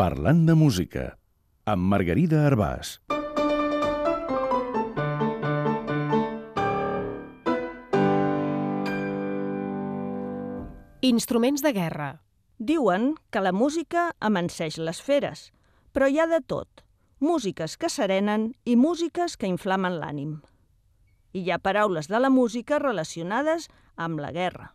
Parlant de música, amb Margarida Arbàs. Instruments de guerra. Diuen que la música amanseix les feres, però hi ha de tot. Músiques que serenen i músiques que inflamen l'ànim. I hi ha paraules de la música relacionades amb la guerra.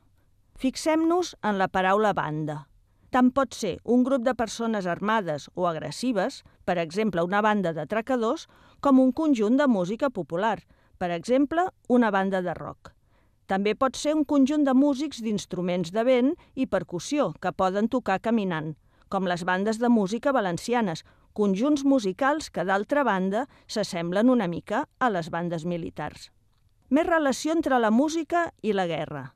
Fixem-nos en la paraula banda. Tant pot ser un grup de persones armades o agressives, per exemple una banda d'atracadors, com un conjunt de música popular, per exemple una banda de rock. També pot ser un conjunt de músics d'instruments de vent i percussió que poden tocar caminant, com les bandes de música valencianes, conjunts musicals que, d'altra banda, s'assemblen una mica a les bandes militars. Més relació entre la música i la guerra.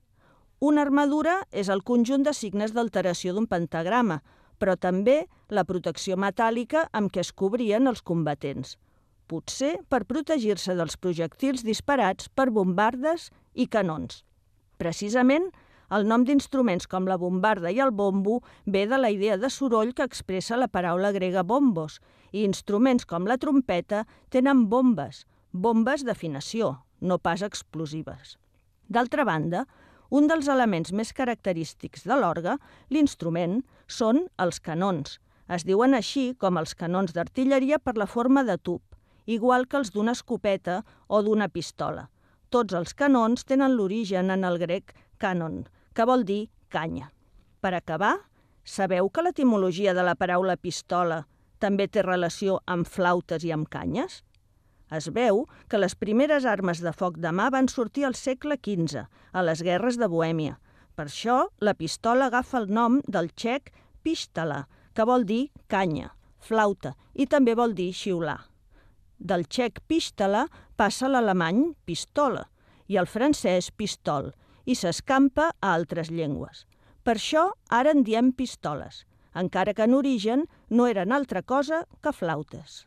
Una armadura és el conjunt de signes d'alteració d'un pentagrama, però també la protecció metàl·lica amb què es cobrien els combatents. Potser per protegir-se dels projectils disparats per bombardes i canons. Precisament, el nom d'instruments com la bombarda i el bombo ve de la idea de soroll que expressa la paraula grega bombos, i instruments com la trompeta tenen bombes d'afinació, no pas explosives. D'altra banda, un dels elements més característics de l'orgue, l'instrument, són els canons. Es diuen així com els canons d'artilleria per la forma de tub, igual que els d'una escopeta o d'una pistola. Tots els canons tenen l'origen en el grec canon, que vol dir canya. Per acabar, sabeu que l'etimologia de la paraula pistola també té relació amb flautes i amb canyes? Es veu que les primeres armes de foc de mà van sortir al segle XV, a les guerres de Bohèmia. Per això, la pistola agafa el nom del txec pistola, que vol dir canya, flauta, i també vol dir xiular. Del txec pistola passa a l'alemany pistola i al francès pistol, i s'escampa a altres llengües. Per això ara en diem pistoles, encara que en origen no eren altra cosa que flautes.